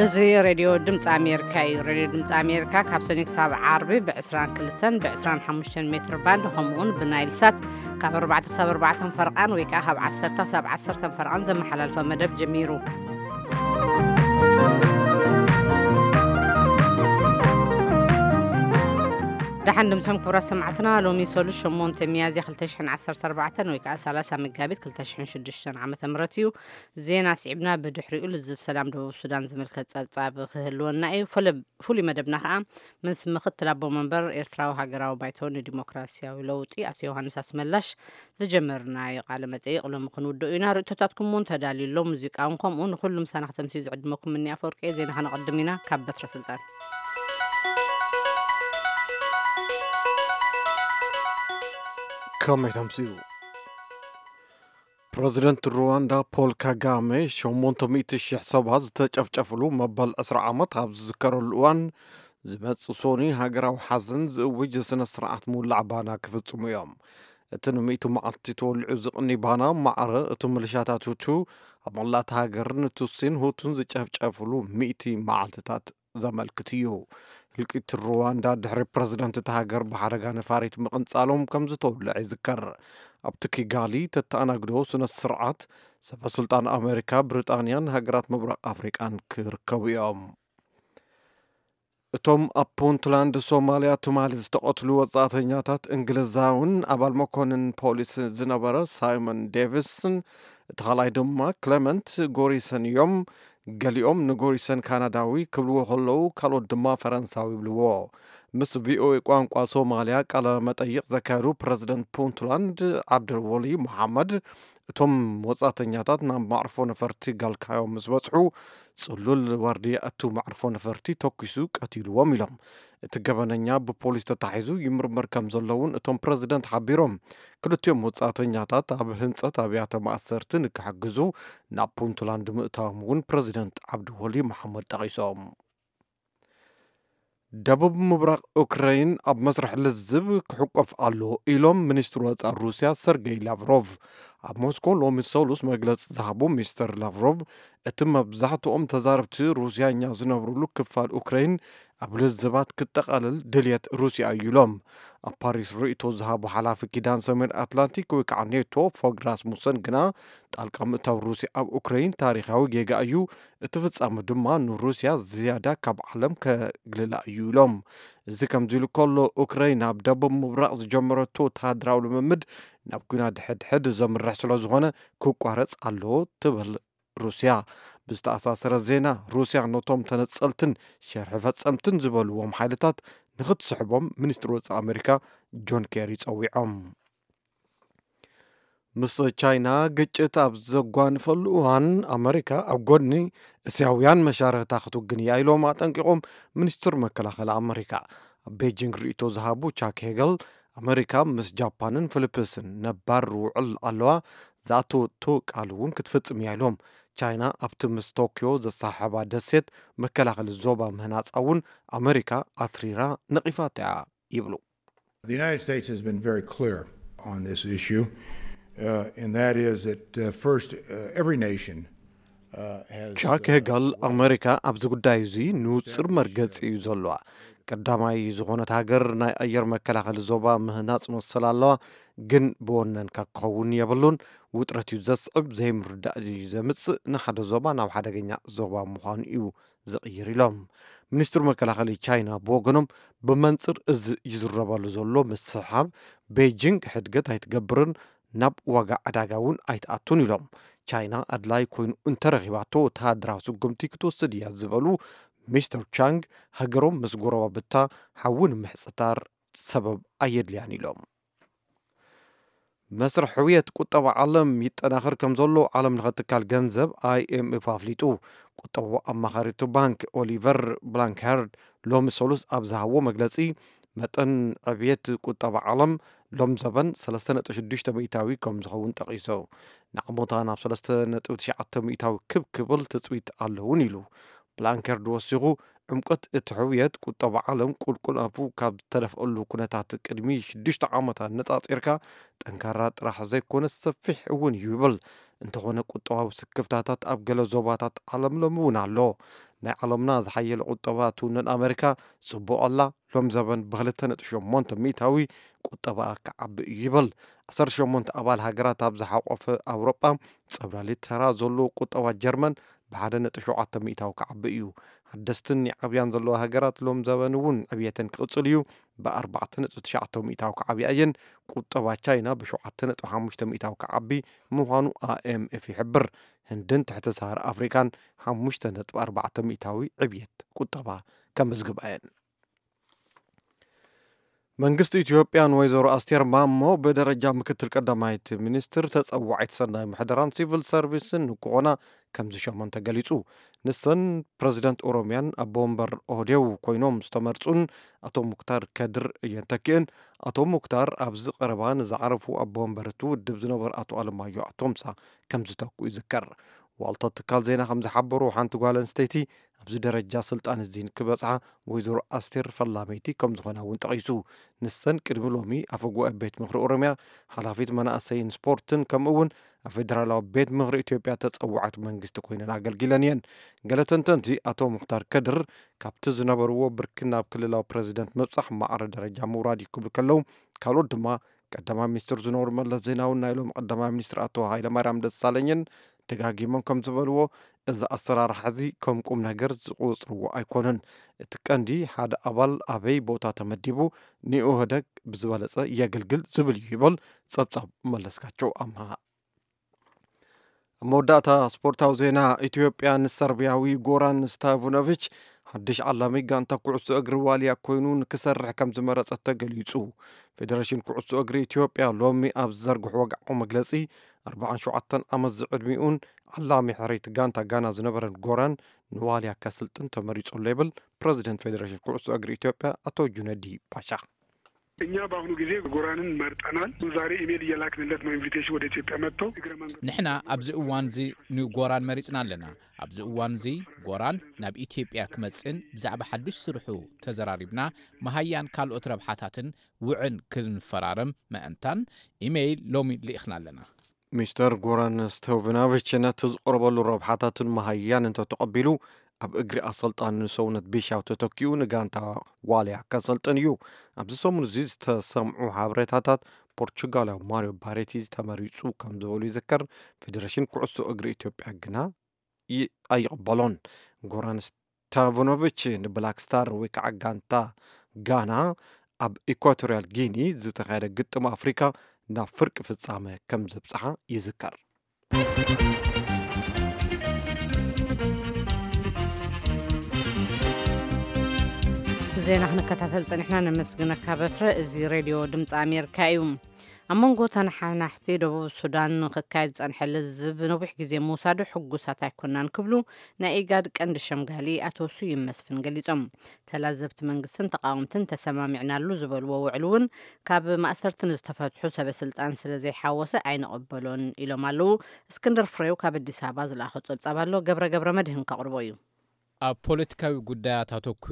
እዚ ሬድዮ ድምፂ ኣሜሪካ እዩ። ሬድዮ ድምፂ ኣሜሪካ ካብ ሰኒ ክሳብ ዓርቢ ብ22 ብ25 ሜትር ባንድ፣ ከምኡውን ብናይል ሳት ካብ ኣርባዕተ ክሳብ ኣርባዕተ ፈርቓን ወይ ከዓ ካብ ዓሰርተ ክሳብ ዓሰርተ ፈርቓን ዘመሓላልፎ መደብ ጀሚሩ። ደሓን ድምሶም ክቡራት ሰማዕትና፣ ሎሚ ሰሉስ ሸሞንተ ሚያዝያ ክልተ ሽሕን ዓሰርተ ኣርባዕተን ወይ ከዓ ሰላሳ መጋቢት ክልተ ሽሕን ሽዱሽተን ዓመተ ምህረት እዩ። ዜና ስዒብና ብድሕሪኡ ልዝብ ሰላም ደቡብ ሱዳን ዝምልከት ጸብጻብ ክህልወና እዩ። ፍሉይ መደብና ከዓ ምስ ምክትል ኣቦ መንበር ኤርትራዊ ሃገራዊ ባይቶ ንዲሞክራሲያዊ ለውጢ ኣቶ ዮሃንስ ኣስመላሽ ዝጀመርናዮ ቃለ መጠይቕ ሎሚ ክንውድኦ ኢና። ርእቶታትኩም እውን ተዳልዩ ኣሎ። ሙዚቃ እውን ከምኡ። ንኹሉ ምሳና ከተምስዩ ዝዕድመኩም እኒ ኣፈወርቂ እየ። ዜና ከነቐድም ኢና። ካብ በትረ ስልጣን። ከመይ ተምስዩ? ፕረዚደንት ሩዋንዳ ፖል ካጋሜ ሸሞንተ ሚእቲ ሽሕ ሰባት ዝተጨፍጨፍሉ መበል ዕስራ ዓመት ኣብ ዝዝከረሉ እዋን፣ ዝመጽእ ሶኒ ሃገራዊ ሓዘን ዝእውጅ ስነ ስርዓት ምውላዕ ባና ክፍጽሙ እዮም። እቲ ንሚእቲ መዓልቲ ተወሊዑ ዝቕኒ ባና፣ ማዕረ እቲ ምልሻታት ሁቱ ኣብ መላእቲ ሃገር ንቱሲን ሁቱን ዝጨፍጨፍሉ ሚእቲ መዓልትታት ዘመልክት እዩ። ህልቂት ሩዋንዳ ድሕሪ ፕረዚደንት እታ ሃገር ብሓደጋ ነፋሪት ምቕንጻሎም ከም ዝተወልዐ ይዝከር። ኣብቲ ኪጋሊ ተተኣናግዶ ስነ ስርዓት ሰበ ስልጣን ኣሜሪካ፣ ብሪጣንያን ሃገራት ምብራቕ ኣፍሪቃን ክርከቡ እዮም። እቶም ኣብ ፑንትላንድ ሶማልያ ትማሊ ዝተቐትሉ ወጻእተኛታት እንግሊዛውን ኣባል መኮንን ፖሊስ ዝነበረ ሳይመን ዴቪስን እቲ ካልኣይ ድማ ክለመንት ጎሪሰን እዮም። ገሊኦም ንጎሪሰን ካናዳዊ ክብልዎ ከለዉ፣ ካልኦት ድማ ፈረንሳዊ ይብልዎ። ምስ ቪኦኤ ቋንቋ ሶማልያ ቃለ መጠይቕ ዘካየዱ ፕረዚደንት ፑንትላንድ ዓብደልወሊ መሓመድ፣ እቶም ወጻእተኛታት ናብ ማዕርፎ ነፈርቲ ጋልካዮ ምስ በጽሑ፣ ጽሉል ዋርድያ እቲ ማዕርፎ ነፈርቲ ተኲሱ ቀቲልዎም ኢሎም። እቲ ገበነኛ ብፖሊስ ተታሒዙ ይምርመር ከም ዘሎ እውን እቶም ፕረዚደንት ሓቢሮም። ክልቲኦም ወጻእተኛታት ኣብ ህንጸት ኣብያተ ማእሰርቲ ንክሕግዙ ናብ ፑንትላንድ ምእታዎም እውን ፕረዚደንት ዓብድወሊ መሓመድ ጠቒሶም። ደቡብ ምብራቕ ኡክረይን ኣብ መስርሕ ልዝብ ክሕቆፍ ኣሎ ኢሎም ሚኒስትር ወጻኢ ሩስያ ሰርጌይ ላቭሮቭ። ኣብ ሞስኮ ሎሚ ሰሉስ መግለጺ ዝሃቡ ሚስተር ላቭሮቭ፣ እቲ መብዛሕትኦም ተዛረብቲ ሩስያኛ ዝነብሩሉ ክፋል ኡክረይን ኣብ ልዝባት ክጠቓለል ድልየት ሩስያ እዩ ኢሎም። ኣብ ፓሪስ ርእይቶ ዝሃቡ ሓላፊ ኪዳን ሰሜን ኣትላንቲክ ወይ ከዓ ኔቶ ፎግ ራስሙሰን ግና፣ ጣልቃ ምእታው ሩስያ ኣብ ኡክረይን ታሪኻዊ ጌጋ እዩ፣ እቲ ፍጻመ ድማ ንሩስያ ዝያዳ ካብ ዓለም ከግልላ እዩ ኢሎም። እዚ ከምዚ ኢሉ ከሎ፣ ኡክረይን ኣብ ደቡብ ምብራቕ ዝጀመረቶ ወተሃደራዊ ልምምድ ናብ ኲናት ሕድሕድ ዘምርሕ ስለ ዝኾነ ክቋረጽ ኣለዎ ትብል ሩስያ። ብዝተኣሳሰረ ዜና፣ ሩስያ ነቶም ተነጸልትን ሸርሒ ፈጸምትን ዝበልዎም ሓይልታት ንኽትስሕቦም ሚኒስትሪ ወጻኢ ኣሜሪካ ጆን ኬሪ ጸዊዖም። ምስ ቻይና ግጭት ኣብ ዘጓንፈሉ እዋን፣ ኣመሪካ ኣብ ጎድኒ እስያውያን መሻርኽታ ክትውግን እያ ኢሎም ኣጠንቂቖም ሚኒስትር መከላኸሊ ኣመሪካ። ኣብ ቤጂንግ ርእይቶ ዝሃቡ ቻክ ሄገል፣ ኣመሪካ ምስ ጃፓንን ፊሊፕስን ነባር ውዕል ኣለዋ፣ ዝኣተወቶ ቃል እውን ክትፍጽም እያ ኢሎም። ቻይና ኣብቲ ምስ ቶኪዮ ዘሰሓሕባ ደሴት መከላኸሊ ዞባ ምህናጻ እውን ኣመሪካ ኣትሪራ ነቒፋታ እያ ይብሉ። The United States has been very clear on this issue, uh, and that is that, uh, first, uh, every nation, uh, has, ቻክ uh, ሄገል፣ ኣመሪካ ኣብዚ ጉዳይ እዚ ንውፅር መርገፂ እዩ ዘለዋ። ቀዳማይ ዝኾነት ሃገር ናይ ኣየር መከላኸሊ ዞባ ምህናፅ መሰል ኣለዋ፣ ግን ብወነንካ ክኸውን የብሉን። ውጥረት እዩ ዘስዕብ፣ ዘይምርዳእ እዩ ዘምፅእ፣ ንሓደ ዞባ ናብ ሓደገኛ ዞባ ምዃኑ እዩ ዝቕይር ኢሎም። ሚኒስትር መከላኸሊ ቻይና ብወገኖም፣ ብመንፅር እዚ ይዝረበሉ ዘሎ ምስሕሓብ፣ ቤጂንግ ሕድገት ኣይትገብርን፣ ናብ ዋጋ ዕዳጋ እውን ኣይትኣቱን ኢሎም። ቻይና ኣድላይ ኮይኑ እንተረኺባቶ ወተሃደራዊ ስጉምቲ ክትወስድ እያ ዝበሉ ሚስተር ቻንግ፣ ሃገሮም ምስ ጎረባብታ ሓዊ ንምሕፅታር ሰበብ ኣየድልያን ኢሎም። መስርሕ ሕውየት ቁጠባ ዓለም ይጠናኸር ከም ዘሎ ዓለም ለኸ ትካል ገንዘብ ኣይ ኤም ኤፍ ኣፍሊጡ። ቁጠባዊ ኣማኻሪቱ ባንክ ኦሊቨር ብላንክሃርድ ሎሚ ሰሉስ ኣብ ዝሃብዎ መግለጺ፣ መጠን ዕብየት ቁጠባ ዓለም ሎም ዘበን ሰለስተ ነጥቢ ሽዱሽተ ሚእታዊ ከም ዝኸውን ጠቒሱ። ንዓሞታ ናብ ሰለስተ ነጥቢ ትሽዓተ ሚእታዊ ክብ ክብል ትጽቢት ኣለውን ኢሉ። ብላንከርድ ወሲኹ፣ ዕምቆት እቲ ሕውየት ቁጠባ ዓለም ቁልቁል ኣፉ ካብ ዝተደፍአሉ ኩነታት ቅድሚ ሽዱሽተ ዓመት ኣነጻጺርካ ጠንካራ ጥራሕ ዘይኮነስ ሰፊሕ እውን እዩ ይብል። እንተኾነ ቁጠባዊ ስክፍታታት ኣብ ገለ ዞባታት ዓለም ሎሚ እውን ኣሎ። ናይ ዓለምና ዝሓየለ ቁጠባ ትውንን ኣመሪካ ጽቡቕ ኣላ። ሎም ዘበን ብ2.8 ሚእታዊ ቁጠባ ክዓቢ እዩ ይብል። 18 ኣባል ሃገራት ኣብ ዝሓቆፈ ኣውሮጳ ጸብላሊ ተራ ዘለዎ ቁጠባ ጀርመን ብ1.7 ሚእታዊ ክዓቢ እዩ። ሓደስትን ይዓብያን ዘለዋ ሃገራት ሎም ዘበን እውን ዕብየተን ክቕጽል እዩ። ብ4.9 ሚእታዊ ክዓብያ እየን። ቁጠባ ቻይና ብ7.5 ሚእታዊ ክዓቢ ምዃኑ ኣይ ኤም ኤፍ ይሕብር። ህንድን ትሕቲ ሰሃራ ኣፍሪካን 5.4 ሚእታዊ ዕብየት ቁጠባ ከምዝግባ እየን። መንግስቲ ኢትዮጵያ ንወይዘሮ ኣስቴር ማሞ ብደረጃ ምክትል ቀዳማይት ሚኒስትር ተጸዋዒት ሰናይ ምሕደራን ሲቪል ሰርቪስን ንክኾና ከም ዝሸመን ተገሊጹ። ንሰን ፕረዚደንት ኦሮሚያን ኣቦ ወንበር ኦህዴው ኮይኖም ዝተመርጹን ኣቶ ሙክታር ከድር እየን ተኪእን። ኣቶ ሙክታር ኣብዚ ቀረባ ንዝዓረፉ ኣቦ ወንበር እቲ ውድብ ዝነበሩ ኣቶ ኣለማዮ ኣቶምሳ ከም ዝተኩ ይዝከር። ዋልታ ትካል ዜና ከም ዝሓበሩ ሓንቲ ጓል ኣንስተይቲ ኣብዚ ደረጃ ስልጣን እዚ ንክበጽሓ ወይዘሮ ኣስቴር ፈላመይቲ ከም ዝኾና እውን ጠቒሱ። ንሰን ቅድሚ ሎሚ ኣፈ ጉባኤ ቤት ምኽሪ ኦሮሚያ፣ ሓላፊት መናእሰይን ስፖርትን ከምኡ እውን ኣብ ፌደራላዊ ቤት ምኽሪ ኢትዮጵያ ተጸዋዕቲ መንግስቲ ኮይነን ኣገልጊለን እየን። ገለ ተንተንቲ ኣቶ ሙክታር ከድር ካብቲ ዝነበርዎ ብርኪ ናብ ክልላዊ ፕረዚደንት ምብጻሕ ማዕረ ደረጃ ምውራድ እዩ ክብሉ ከለዉ፣ ካልኦት ድማ ቀዳማይ ሚኒስትር ዝነበሩ መለስ ዜናውን ናይ ሎሚ ቀዳማይ ሚኒስትር ኣቶ ሃይለማርያም ደሳለኝን ደጋጊሞም ከም ዝበልዎ፣ እዚ ኣሰራርሓ እዚ ከም ቁም ነገር ዝቆጽርዎ ኣይኮኑን። እቲ ቀንዲ ሓደ ኣባል ኣበይ ቦታ ተመዲቡ ንኢህወደግ ብዝበለጸ የገልግል ዝብል እዩ ይብል ጸብጻብ መለስካቸው ኣምሃ። ኣብ መወዳእታ ስፖርታዊ ዜና፣ ኢትዮጵያ ንሰርቢያዊ ጎራን ስታይቭኖቪች ሓድሽ ዓላሚ ጋንታ ኩዕሶ እግሪ ዋልያ ኮይኑ ንክሰርሕ ከም ዝመረጸት ተገሊጹ። ፌደሬሽን ኩዕሶ እግሪ ኢትዮጵያ ሎሚ ኣብ ዝዘርግሕዎ ጋዕቆ መግለጺ፣ 47 ዓመት ዝዕድሚኡን ዓላሚ ሕርይቲ ጋንታ ጋና ዝነበረን ጎራን ንዋልያ ከስልጥን ተመሪጹ ኣሎ ይብል ፕረዚደንት ፌደሬሽን ኩዕሶ እግሪ ኢትዮጵያ ኣቶ ጁነዲ ባሻ። እኛ በአሁኑ ጊዜ ጎራንን መርጠናል። ዛሬ ኢሜል እየላክንለት ነው ኢንቪቴሽን ወደ ኢትዮጵያ መጥቶ እግረ መንገዱ ንሕና ኣብዚ እዋን እዚ ንጎራን መሪጽና ኣለና። ኣብዚ እዋን እዚ ጎራን ናብ ኢትዮጵያ ክመጽእን ብዛዕባ ሓድሽ ስርሑ ተዘራሪብና መሃያን ካልኦት ረብሓታትን ውዕን ክንፈራረም መእንታን ኢሜይል ሎሚ ልኢኽና ኣለና። ሚስተር ጎራን ስቶቭናቪች ነቲ ዝቐረበሉ ረብሓታትን መሃያን እንተተቐቢሉ፣ ኣብ እግሪ ኣሰልጣኒ ንሰውነት ቢሻው ተተኪኡ ንጋንታ ዋልያ ከሰልጥን እዩ። ኣብዚ ሰሙን እዚ ዝተሰምዑ ሓበሬታታት፣ ፖርቹጋላዊ ማሪዮ ባሬቲ ዝተመሪጹ ከም ዝበሉ ይዝከር። ፌዴሬሽን ኩዕሶ እግሪ ኢትዮጵያ ግና ይ- ኣይቕበሎን። ጎራን ስታቭኖቪች ንብላክ ስታር ወይ ከዓ ጋንታ ጋና ኣብ ኢኳቶሪያል ጊኒ ዝተኻየደ ግጥም ኣፍሪካ ናብ ፍርቂ ፍጻመ ከም ዘብጽሓ ይዝከር። ዜና ክንከታተል ጸኒሕና፣ ነመስግነካ በትረ። እዚ ሬድዮ ድምፂ ኣሜሪካ እዩ። ኣብ መንጎ ተነሓናሕቲ ደቡብ ሱዳን ንክካየድ ዝጸንሐ ለዝብ ነዊሕ ግዜ ምውሳዱ ሕጉሳት ኣይኮናን ክብሉ ናይ ኢጋድ ቀንዲ ሸምጋሊ ኣቶ ስዩም መስፍን ገሊጾም። ተላዘብቲ መንግስትን ተቃወምትን ተሰማሚዕናሉ ዝበልዎ ውዕል እውን ካብ ማእሰርቲ ንዝተፈትሑ ሰበ ስልጣን ስለ ዘይሓወሰ ኣይንቕበሎን ኢሎም ኣለዉ። እስክንድር ፍሬው ካብ ኣዲስ ኣበባ ዝለኣኾ ጸብጻብ ኣሎ፣ ገብረ ገብረ መድህን ከቕርቦ እዩ። ኣብ ፖለቲካዊ ጉዳያት ኣተኩሩ